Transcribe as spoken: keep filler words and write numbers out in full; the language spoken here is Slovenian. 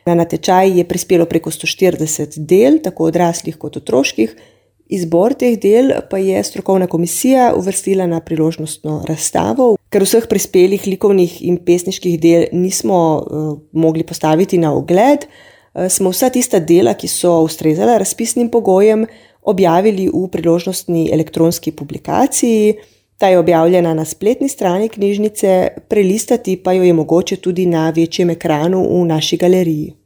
Na natečaj je prispelo preko sto štirideset del, tako odraslih kot otroških. Izbor teh del pa je strokovna komisija uvrstila na priložnostno razstavo. Ker vseh prispelih likovnih in pesniških del nismo uh, mogli postaviti na ogled, uh, smo vsa tista dela, ki so ustrezala razpisnim pogojem, objavili v priložnostni elektronski publikaciji. Ta je objavljena na spletni strani knjižnice, prelistati pa jo je mogoče tudi na večjem ekranu v naši galeriji.